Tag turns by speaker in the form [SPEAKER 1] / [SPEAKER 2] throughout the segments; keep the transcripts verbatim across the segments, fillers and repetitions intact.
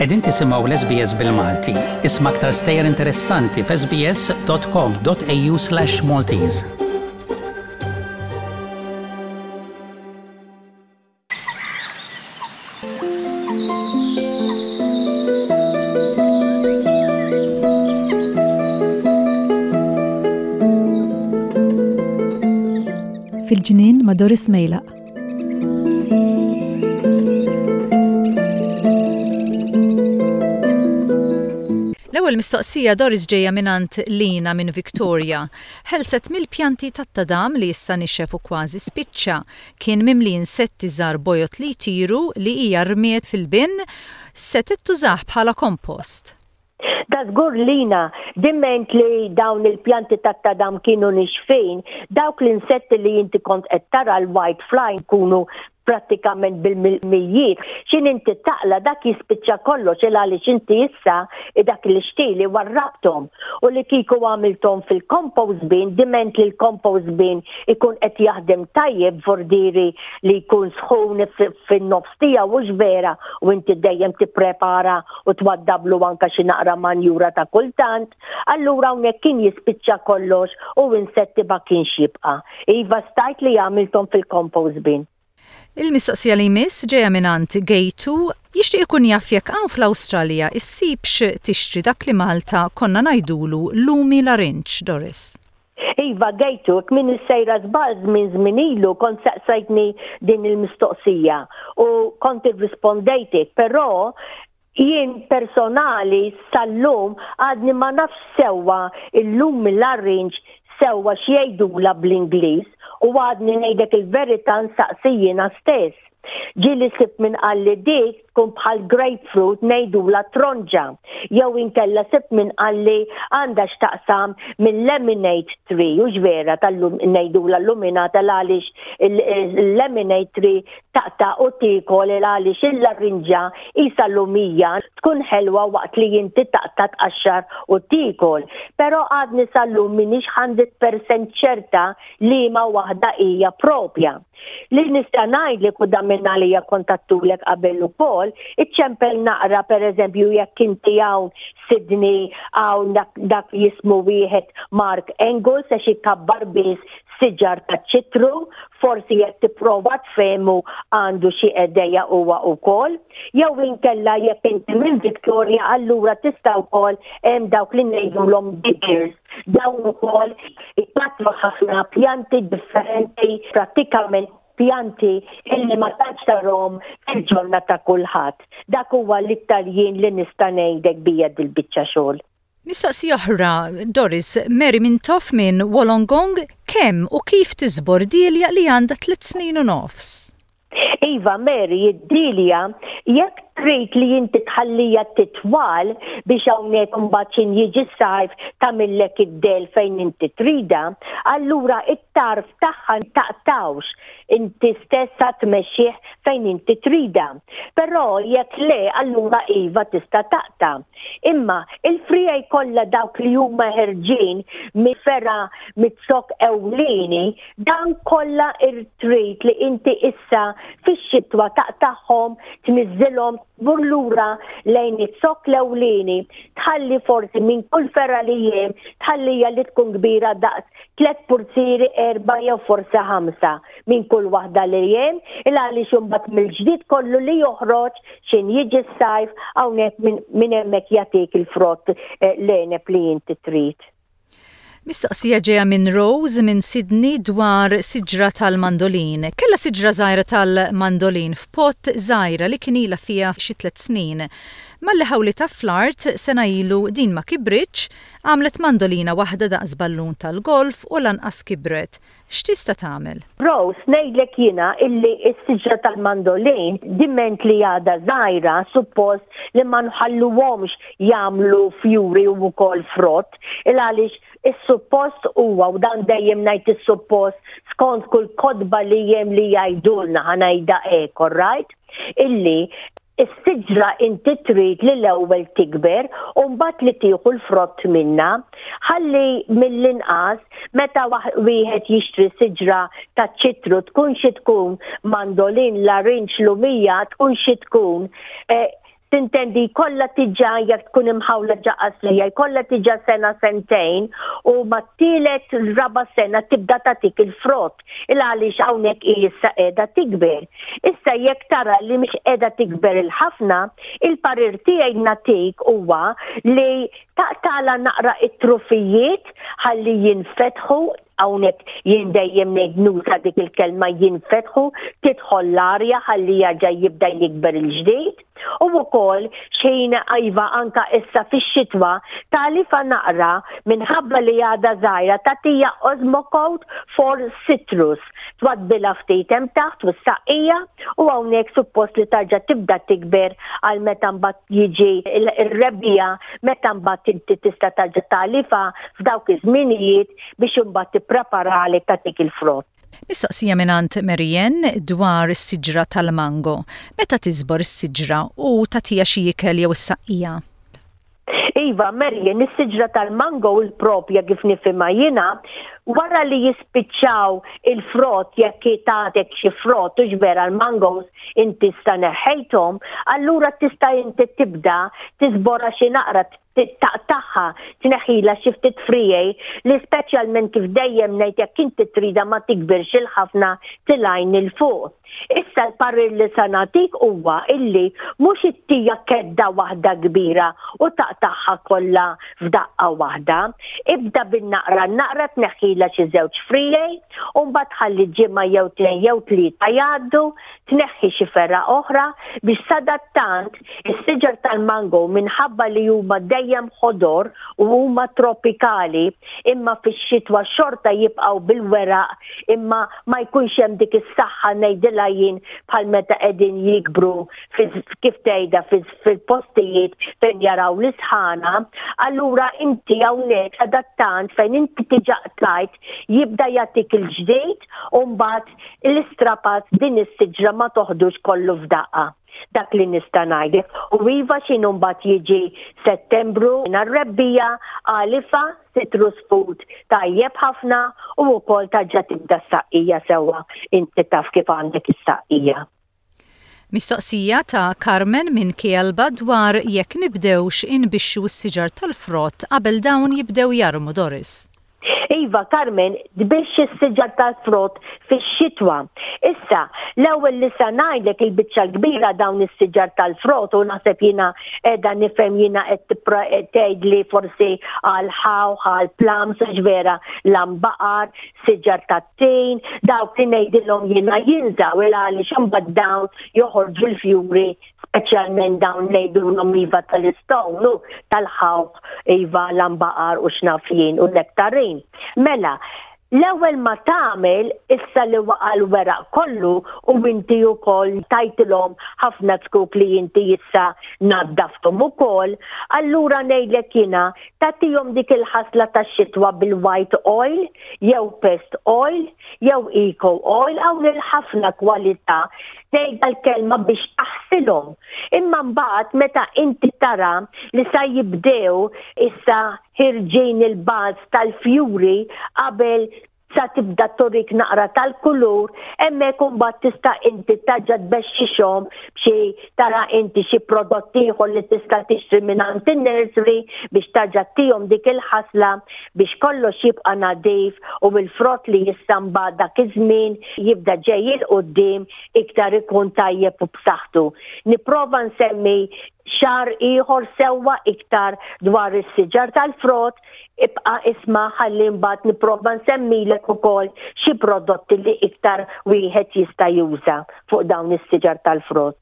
[SPEAKER 1] Qegħdin tisimgħu l-S B S bil-Malti. Isma' aktar stejjer interessanti f'S B S dot com dot A U slash Maltese.
[SPEAKER 2] Fil-ġnien ma' Doris Mejlaq.
[SPEAKER 3] L-ewwel mistoqsija, Doris, ġejja mingħand Lina minn Victoria. Ħelset mill-pjanti tat-tadam li issa nixef u kważi spiċċa. Kien mimli insetti żgħar bojod li jtiru li hija rmiet fil-bin, setgħet tużah bħala kompost.
[SPEAKER 4] Da żgur, Lina, diment li dawn il-pjanti tat-tadam kienu nixfin, dawk l-insetti li inti kont qed tara, l-white fly, kunu prattikament bil-mijiet. X'ħin inti taqla dak jispiċċa kollox, il għaliex inti issa dak li xtili warrabtom. U li kieku għamiltom fil-compost bin, diment li l-compost bin ikun qed jaħdem tajjeb, vordiri li jkun sħun fin-nofs tiegħu, hux vera, u inti dejjem tipprepara u twaddablu anka xi naqra manjura ta' kultant, allura hawnhekk kien jispiċċa kollox u insetti ma kienx jibqa'. Iva, stajt li għamiltom fil-compost bin.
[SPEAKER 3] Il-mistoqsija li jmiss ġejja mingħand Gejtu, jixtieq ikun jaf jekk hawn fl-Awstralja issibx tixtri dak li Malta konna ngħidulu lumi larinġ, Doris.
[SPEAKER 4] Iva Gejtu, min sejra żball, minn żmien ilu kont saqsajtni din il-mistoqsija u kont irrispondejtek, però jien personali sal-lum għadni ma nafx sewwa il-lumi larinġ sewwa x'jgħidula bl-Ingliż u għadni, ngħidlek il-verità, nsaqsi jiena stess. Ġieli sibt min qalli dik tkun bħal grapefruit, ngħidula tronġa. Jew inkella sibt min qalli għandha x'taqsam minn lemonade tree, u vera tal-lum ngħidula luminata għaliex il-lemonade tree taqta' u tiekol, għaliex il-larinġa isa lumija, tkun ħelwa waqt li inti taqta', tqaxxar u tiekol. Però għadni sal-lum minix mija fil-mija ċerta li ma waħda hija propja. Li nista' ngħidlek, u dan minn għalija kontattulek qabel ukoll, iċċempel naqra, pereżempju, jekk inti hawn Sydney, hawn dak, dak jismu wieħed Mark Engels, għax ikabbar biss siġar ta' ċitru, forsi jekk tipprova tfehmu għandu xi idea huwa wkoll, jew inkella jekk inti minn Victoria, allura tista' wkoll hemm dawk li ngħidulhom diggers. Dawn ukoll ikattru ħafna pjanti differenti, prattikament pjanti illi ma tantx tarahom fil-ġonna ta' kulħadd. Dak huwa l-iktar jien li nista' ngħidlek bija dil-biċċa xogħol.
[SPEAKER 3] Mistoqsija oħra, Doris, Mary Mintoff minn Wollongong, kemm u kif tiżbor dilja li għandha tliet snin u nofs?
[SPEAKER 4] Iva Mary, id-dilja, jekk trid li inti tħallija titwal biex hawnhekk imbagħad x'ħin jiġi s-sajf tagħmillek id-del fejn inti trida, allura it-tarf tagħha taqtawx, inti stessa tmexxih fejn inti trida. Però jekk le, allura iva, tista' taqta'. Imma il-friegħi kollha, dawk li huma ħerġin mi-fergħa miz-zokk ewlieni, dan kollha trid li inti issa fix-xitwa taqtagħhom, tniżżilhom, tmur lura lejn iz-zokk l-ewlieni, tħalli forsi minn kull fergħa li hemm, tħallija li tkun kbira daqs tlet purzieri, erba' jew forsi ħamsa minn kull waħda li hemm, il għaliex imbagħad mill-ġdid kollu li joħroġ x'ħin jiġi s-sajf hawnhekk minn hemmhekk jagħtik il-frott, eh, l-għeneb li inti trid.
[SPEAKER 3] Mistoqsija ġeja minn Rose minn Sydney dwar siġra tal-mandolin. Kella siġra żgħira tal-mandolin f'pot żgħira li kien ilha fiha xi tliet snin. Malli ħawlitha fl-art sena ilu, din ma kibritx, għamlet mandolina waħda daqs ballun tal-golf u lanqas kibret. X'tista' tagħmel?
[SPEAKER 4] Rose, ngħidlek jiena illi s-siġra tal-mandolin, diment li għadha żgħira, suppost li ma nħalluhomx jagħmlu fjuri u wkoll frott, il għaliex is-suppost huwa, u dan dejjem ngħid is-suppost skont kull kotba li hemm li jgħidulna, ħa ngħidha hekk, right? Illi is-siġra inti trid li l-ewwel tikber u mbagħad li tieħu l-frott minna, ħalli mill-inqas meta wieħed jixtri siġra ta' ċitru, tkun xi tkun, mandolin, larinġ, lumija, tkun xi tkun, eh, Tintendi kollha tiġa jekk tkun imħawla ġa qasrija, jkollha tiġa sena sentejn u mat-tielet raba sena tibda tagħtik il-frott il għaliex hawnhekk hi issa qiegħda tikber. Issa jekk tara li mhix qiegħda tikber il-ħafna, il-parir tiegħi nagħtik huwa li taqtala naqra it-trufijiet ħalli jinfetħu hawnhekk jien dejjem ngħid nuża dik il-kelma jinfetħu, tidħol l-arja ħalli jerġa' jibda jikber il-ġdid. U wkoll xejn iva anka issa fix-xitwa tagħlifha naqra minħabba li għadha żgħira tagħtiha Osmocote for Citrus. Twaddbilha ftit hemm taħt u s-saqqija u hawnhekk suppost li tarġa' tibda tikber għal meta mbagħad jiġi ir-rebbiegħa meta mbagħad inti tista' tarġa' tagħlifha f'dawk iż-żminijiet biex imbagħad tippreparali tagħtik il-frott.
[SPEAKER 3] Mistoqsija mingħand Marianne dwar is-siġra tal-mango. Meta tiżbor is-siġra u tagħtiha xi ikel jew is-saqqija?
[SPEAKER 4] Iva, Marianne, is-siġra tal-mango il-propja kif nifhimha jiena, wara li jispiċċaw il-frott jekk tagħtek xi frott u vera l-mangos inti sta neħħejthom, allura tista' inti tibda tiżbora xi naqra taqtagħha tneħħila xi ftit friegħi li speċjalment kif dejjem ngħid jekk inti trida ma tikbirx il-ħafna tilgħin 'il fuq. Issa l-parir li sa nagħtik huwa illi mhux ittija kedda waħda kbira u taqtagħha kollha f'daqqa waħda. Ibda bin-naqra naqra tneħħila xi żewġ friegħi u mbagħad ħalli ġimgħa jew tnejn jew tlieta jgħaddu, tneħħi xi ferra oħra biex sadattant is-siġar tal-mango minħabba li huma dejjem ħodor u huma tropikali imma fix-xitwa xorta jibqgħu bil-weraq imma ma jkunx hemm dik is-saħħa ngħidilha jien bħal meta qegħdin jikbru kif tgħidha fil-postijiet fejn jaraw l-isħana, allura inti hawnhekk sadattant fejn inti diġà qtajt jibda jagħtik il-ġdid u mbagħad l-istrapazz din is-siġra ma toħdux kollu f'daqqa. Dak li nista' ngħidlek. U iva x'inhu mbagħad jiġi Settembru nar-rebbiegħa agħlifha citrus food tajjeb ħafna u wkoll tarġa' tibda s-saqqija sewwa inti taf kif għandek is-saqqija.
[SPEAKER 3] Mistoqsija ta' Carmen minn Kielba dwar jekk nibdewx inbixxu s-siġar tal-frott qabel dawn jibdew jarmu Doris.
[SPEAKER 4] Iva, Carmen, tbixx is-siġar tal-frott fix-xitwa. Issa, l-ewwel li sa ngħidlek il-biċċa l-kbira dawn is-siġar tal-frott u naħseb jiena qiegħda nifhem jiena qed tgħidli forsi għal ħawħ, għal plums, vera, l-għanbaqar, siġar tat-tin, dawk li ngħidilhom jiena jinżaw il għaliex imbagħad dawn joħorġu l-fjuri speċjalment dawn ngħidulhom iva tal-istone, tal-ħawħ, iva l-għanbaqar u x'naf jien u nektarin. Mela, l-ewwel ma tagħmel issa li waqa' l-weraq kollu u inti wkoll tajtilhom ħafna zkuk li inti issa naddafthom ukoll, allura ngħidlek jiena tagħtihom dik il-ħasla tax-xitwa bil-white oil jew pest oil jew eco oil hawn il-ħafna kwalità tgħidha l-kelma biex taħsilhom. Imma mbagħad meta inti tara li sa jibdew issa ħirġin il-buds tal-fjuri qabel sa tibda turik naqra tal-kulur, hemmhekk imbagħad tista' inti tarġa' tbexxixhom b'xi tara inti xi prodotti ieħor li tista' tixtri mingħand in-nursery biex tarġa' ttihom dik il-ħasla biex kollox jibqa' nadif u l-frott li jista' mbagħad dak iż-żmien jibda ġej 'il quddiem iktar ikun tajjeb u b'saħħtu. Nipprova nsemmi xahar ieħor sewwa iktar dwar is-siġar tal-frott, ibqa' isma' ħalli mbagħad nipprova nsemmilek ukoll xi prodotti li iktar wieħed jista' juża fuq dawn is-siġar tal-frott.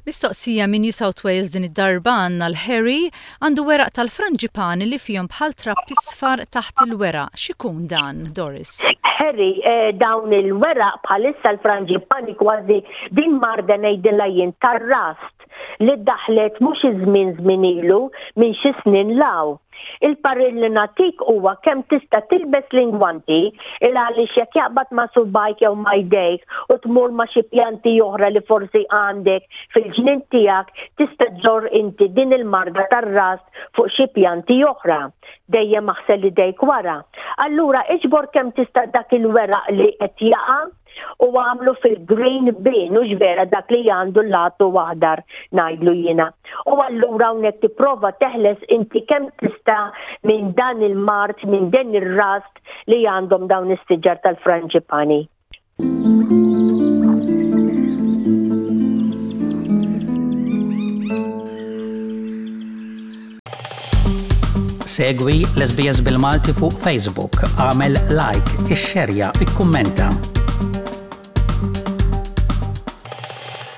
[SPEAKER 3] Mistoqsija minn New South Wales din id-darba għandna l-Harry għandu weraq tal-franġipani li fihom bħal trapp isfar taħt il-weraq. X'ikun dan, Doris?
[SPEAKER 4] Harry, eh, dawn il-weraq bħalissa l-franġipani kważi din marda ngħidilha jien tar-rust li daħlet mhux iż-żmien żmien ilu minn xi snin law. Il-parir li nagħtik huwa kemm tista' tilbes l-ingwanti il għaliex jekk jaqbad ma' subgħajk jew ma' jdejk u tmur ma' xi pjanti oħra li forsi għandek fil-ġnien tiegħek tista' ġġorr inti din il-marda tar-rust fuq xi pjanti oħra. Dejjem aħsel idejk wara. Allura iġbor kemm tista' dak il-weraq li qed jaqa' U għamlu fil-green bin, u vera dak li għandu l-latu aħdar ngħidlu jiena. U allura hawnhekk tipprova teħles inti kemm tista' minn dan il-mard, minn din ir-rust li għandhom dawn is-siġar tal-frangipani.
[SPEAKER 1] Segwi l-S B S bil-Malti fuq Facebook, għamel like, ixxerja, ikkummenta.